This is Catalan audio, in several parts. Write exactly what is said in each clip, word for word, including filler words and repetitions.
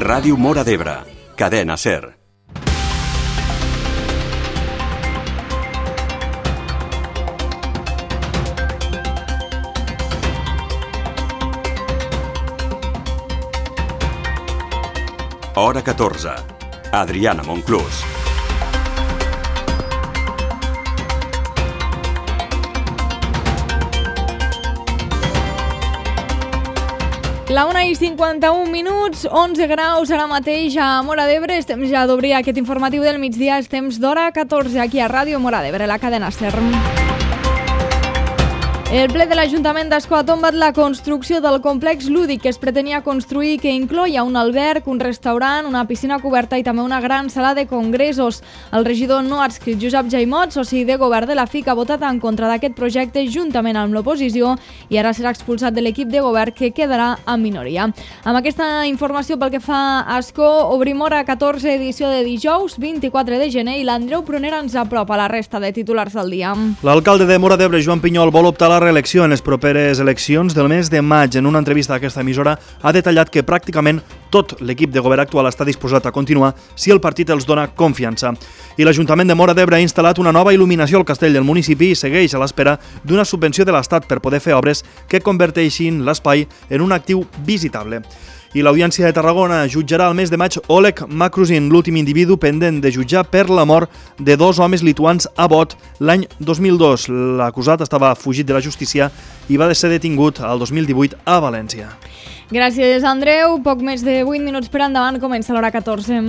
Ràdio Móra d'Ebre, Cadena SER. Hora catorze. Adriana Monclús. La una i cinquanta-un minuts, onze graus ara mateix a Móra d'Ebre. És temps ja d'obrir aquest informatiu del migdia. És temps d'hora catorze aquí a Ràdio Móra d'Ebre, la cadena SER. El ple de l'Ajuntament d'Ascó ha tombat la construcció del complex lúdic que es pretenia construir, que incloïa un alberg, un restaurant, una piscina coberta i també una gran sala de congressos. El regidor no adscrit Josep Jaimot, soci de govern de la F I C, ha votat en contra d'aquest projecte juntament amb l'oposició i ara serà expulsat de l'equip de govern, que quedarà en minoria. Amb aquesta informació pel que fa a Ascó, obrim hora catorze, edició de dijous, vint-i-quatre de gener, i l'Andreu Prunera ens apropa la resta de titulars del dia. L'alcalde de Móra d'Ebre, Joan Pinyol, vol optar a la reelecció en les properes eleccions del mes de maig. En una entrevista a aquesta emissora ha detallat que pràcticament tot l'equip de govern actual està disposat a continuar si el partit els dona confiança. I l'Ajuntament de Móra d'Ebre ha instal·lat una nova il·luminació al castell del municipi i segueix a l'espera d'una subvenció de l'Estat per poder fer obres que converteixin l'espai en un actiu visitable. I l'Audiència de Tarragona jutjarà el mes de maig Oleg Makrusin, l'últim individu pendent de jutjar per la mort de dos homes lituans a bot l'any dos mil dos. L'acusat estava fugit de la justícia i va ser detingut el dos mil divuit a València. Gràcies, Andreu. Poc més de vuit minuts per endavant, comença l'hora catorze.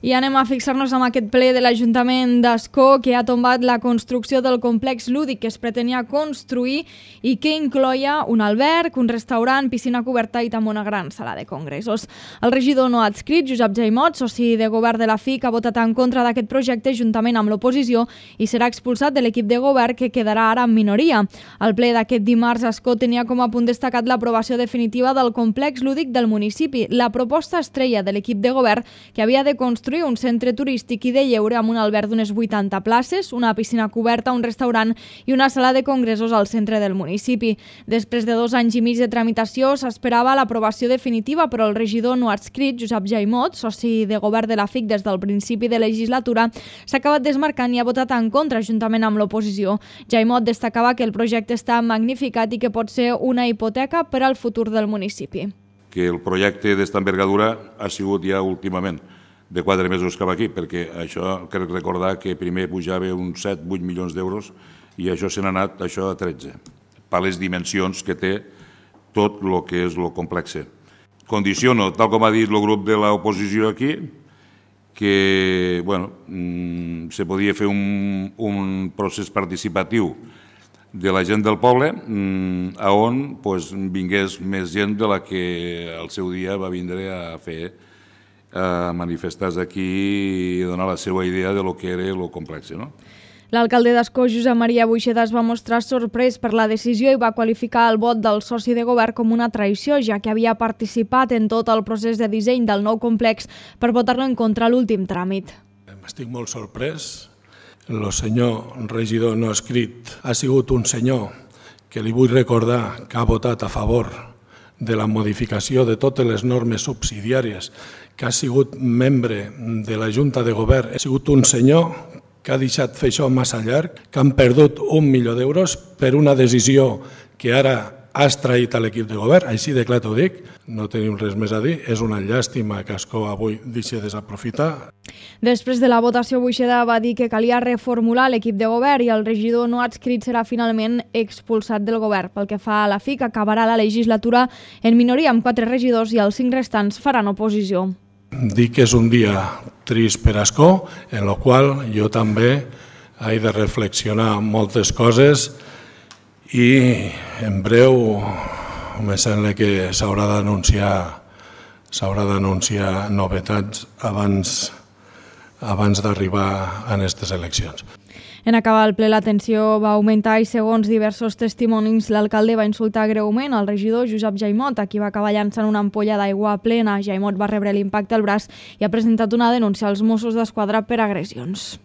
I anem a fixar-nos en aquest ple de l'Ajuntament d'Ascó, que ha tombat la construcció del complex lúdic que es pretenia construir i que incloïa un alberg, un restaurant, piscina coberta i també una gran sala de congressos. El regidor no adscrit, Josep Jaimot, soci de govern de la F I C, ha votat en contra d'aquest projecte juntament amb l'oposició i serà expulsat de l'equip de govern, que quedarà ara en minoria. El ple d'aquest dimarts a Ascó tenia com a punt destacat l'aprovació definitiva del complex lúdic del municipi, la proposta estrella de l'equip de govern, que havia de construir un centre turístic i de lleure amb un alberg d'unes vuitanta places, una piscina coberta, un restaurant i una sala de congressos al centre del municipi. Després de dos anys i mig de tramitació s'esperava l'aprovació definitiva, però el regidor no adscrit, Josep Jaimot, soci de govern de la F I C des del principi de legislatura, s'ha acabat desmarcant i ha votat en contra juntament amb l'oposició. Jaimot destacava que el projecte està magnificat i que pot ser una hipoteca per al futur del municipi. Que el projecte d'esta envergadura ha sigut ja últimament de quatre mesos cap aquí, perquè això crec recordar que primer pujava uns set vuit milions d'euros i això se n'ha anat això a tretze, per les dimensions que té tot el que és el complex. Condiciono, tal com ha dit el grup de l'oposició aquí, que bueno, mmm, se podia fer un, un procés participatiu de la gent del poble, mmm, on pues, vingués més gent de la que al seu dia va vindre a fer a manifestar-se aquí i donar la seva idea de lo que era el complex, no? L'alcalde d'Ascó, Josep Maria Buixeda, es va mostrar sorprès per la decisió i va qualificar el vot del soci de govern com una traïció, ja que havia participat en tot el procés de disseny del nou complex per votar-lo en contra a l'últim tràmit. Estic molt sorprès. El senyor regidor no escrit ha sigut un senyor que li vull recordar que ha votat a favor de la modificació de totes les normes subsidiàries, que ha sigut membre de la Junta de Govern. Ha sigut un senyor que ha deixat fer això massa llarg, que han perdut un milió d'euros per una decisió que ara ha extraït a l'equip de govern, així de clar t'ho dic, no tenim res més a dir, és una llàstima que Ascó avui deixi desaprofitar. Després de la votació, Buixeda va dir que calia reformular l'equip de govern i el regidor no adscrit serà finalment expulsat del govern. Pel que fa a la F I C, acabarà la legislatura en minoria amb quatre regidors i els cinc restants faran oposició. Dic que és un dia trist per Ascó, en el qual jo també he de reflexionar moltes coses i en breu me sembla que s'haurà d'anunciar s'haurà d'anunciar novetats abans, abans d'arribar a aquestes eleccions. En acabar el ple, la tensió va augmentar i, segons diversos testimonis, l'alcalde va insultar greument al regidor Josep Jaimot, a qui va acabar llançant una ampolla d'aigua plena. Jaimot va rebre l'impacte al braç i ha presentat una denúncia als Mossos d'Esquadra per agressions.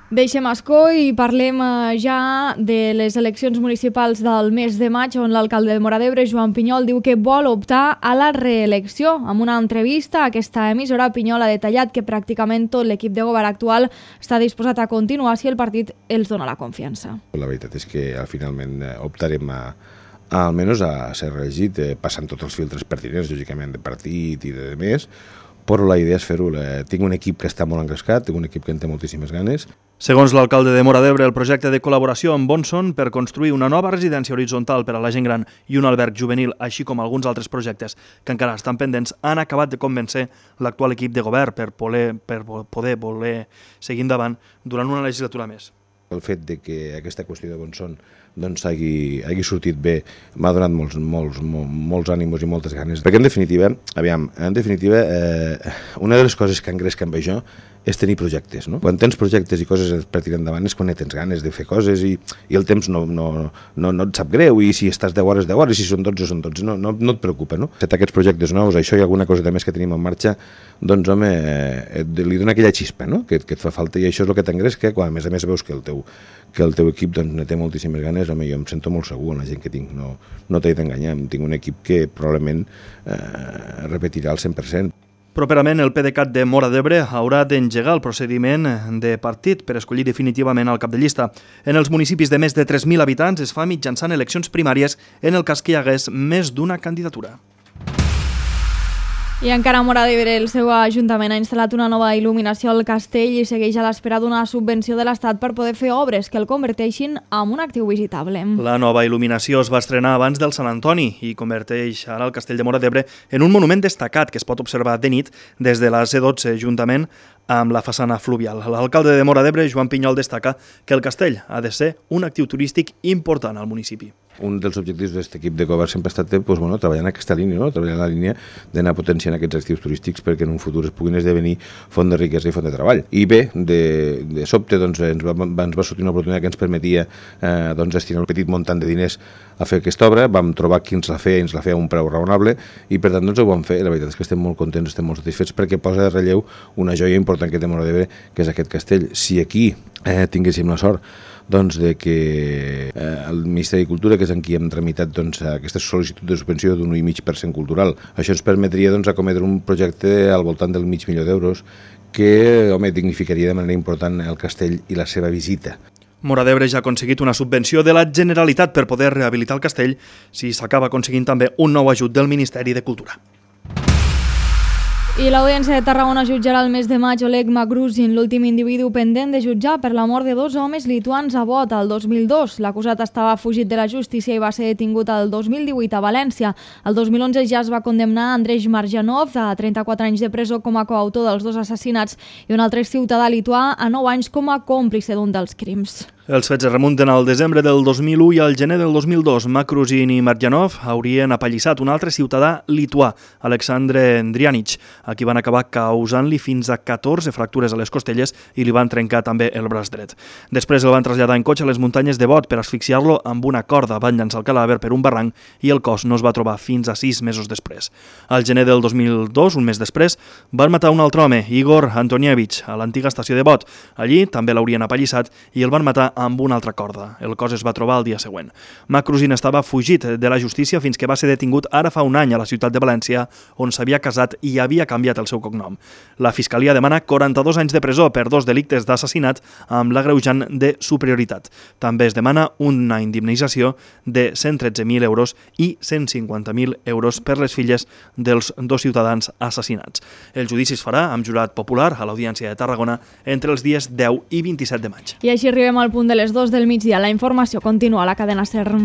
Deixem Ascó i parlem ja de les eleccions municipals del mes de maig, on l'alcalde de Móra d'Ebre, Joan Pinyol, diu que vol optar a la reelecció. En una entrevista a aquesta emissora, Pinyol ha detallat que pràcticament tot l'equip de govern actual està disposat a continuar si el partit els dona la confiança. La veritat és que finalment optarem a, a almenys a ser reelegit, eh, passant tots els filtres pertinents, lògicament, de partit i de més, però la idea és fer-ho. Tinc un equip que està molt engrescat, tinc un equip que en té moltíssimes ganes. Segons l'alcalde de Móra d'Ebre, el projecte de col·laboració amb Bonson per construir una nova residència horitzontal per a la gent gran i un alberg juvenil, així com alguns altres projectes que encara estan pendents, han acabat de convèncer l'actual equip de govern per poder, per poder voler seguir endavant durant una legislatura més. El fet de que aquesta qüestió de Bonson doncs, hagi, hagi sortit bé m'ha donat molts, molts, molts, molts ànimos i moltes ganes. Perquè en definitiva, aviam, en definitiva, eh, una de les coses que engresca amb això és tenir projectes. No? Quan tens projectes i coses per tirar endavant és quan tens ganes de fer coses i, i el temps no, no, no, no et sap greu, i si estàs deu hores, deu hores, i si són dotze, són dotze, no, no, no et preocupa. No? Set aquests projectes nous, això i alguna cosa més que tenim en marxa, doncs home, eh, li dona aquella xispa, no? que, que et fa falta, i això és el que t'engresca, quan a més a més veus que el teu, que el teu equip doncs, ne té moltíssimes ganes. Home, jo em sento molt segur en la gent que tinc, no, no t'he d'enganyar, tinc un equip que probablement eh, repetirà el cent per cent. Properament, el PDeCAT de Móra d'Ebre haurà d'engegar el procediment de partit per escollir definitivament el cap de llista. En els municipis de més de tres mil habitants es fa mitjançant eleccions primàries en el cas que hi hagués més d'una candidatura. I encara a Móra d'Ebre, el seu ajuntament ha instal·lat una nova il·luminació al castell i segueix a l'espera d'una subvenció de l'Estat per poder fer obres que el converteixin en un actiu visitable. La nova il·luminació es va estrenar abans del Sant Antoni i converteix ara el castell de Móra d'Ebre en un monument destacat que es pot observar de nit des de la C dotze, juntament amb la façana fluvial. L'alcalde de Móra d'Ebre, Joan Pinyol, destaca que el castell ha de ser un actiu turístic important al municipi. Un dels objectius d'aquest equip de govern sempre ha estat doncs, bueno, treballar en aquesta línia, no? treballar en la línia d'anar potenciant aquests actius turístics perquè en un futur es puguin esdevenir font de riquesa i font de treball. I bé, de, de sobte doncs, ens, va, ens va sortir una oportunitat que ens permetia eh, doncs, destinar un petit muntant de diners a fer aquesta obra. Vam trobar qui ens la feia i ens la feia a un preu raonable i per tant doncs, ho vam fer. La veritat és que estem molt contents, estem molt satisfets perquè posa de relleu una joia important que té Móra d'Ebre, que és aquest castell. Si aquí eh, tinguéssim la sort doncs, de que eh, el Ministeri de Cultura, que és en qui hem tramitat doncs, aquesta sol·licitud de subvenció d'un un i mig per cent cultural, això ens permetria doncs, acometre un projecte al voltant del mig milió d'euros que home, dignificaria de manera important el castell i la seva visita. Móra d'Ebre ja ha aconseguit una subvenció de la Generalitat per poder rehabilitar el castell si s'acaba aconseguint també un nou ajut del Ministeri de Cultura. I l'Audiència de Tarragona jutjarà el mes de maig Oleg Magrusin, l'últim individu pendent de jutjar per la mort de dos homes lituans a Bot el dos mil dos. L'acusat estava fugit de la justícia i va ser detingut el dos mil divuit a València. El dos mil onze ja es va condemnar Andrei Marjanov a trenta-quatre anys de presó com a coautor dels dos assassinats i un altre ciutadà lituà a nou anys com a còmplice d'un dels crims. Els fets es remunten al desembre del dos mil u i al gener del dos mil dos. Makrusin i Marjanov haurien apallissat un altre ciutadà lituà, Alexandre Ndrianic, a qui van acabar causant-li fins a catorze fractures a les costelles i li van trencar també el braç dret. Després el van traslladar en cotxe a les muntanyes de Bot per asfixiar-lo amb una corda. Van llançar el cadàver per un barranc i el cos no es va trobar fins a sis mesos després. Al gener del dos mil dos, un mes després, van matar un altre home, Igor Antonievich, a l'antiga estació de Bot. Allí també l'haurien apallissat i el van matar amb una altra corda. El cos es va trobar el dia següent. Makrusin estava fugit de la justícia fins que va ser detingut ara fa un any a la ciutat de València, on s'havia casat i havia canviat el seu cognom. La Fiscalia demana quaranta-dos anys de presó per dos delictes d'assassinat amb l'agreujant de superioritat. També es demana una indemnització de cent tretze mil euros i cent cinquanta mil euros per les filles dels dos ciutadans assassinats. El judici es farà amb jurat popular a l'Audiència de Tarragona entre els dies deu i vint-i-set de maig. I així arribem al punt de les dos del migdia. La informació continua a la cadena SER.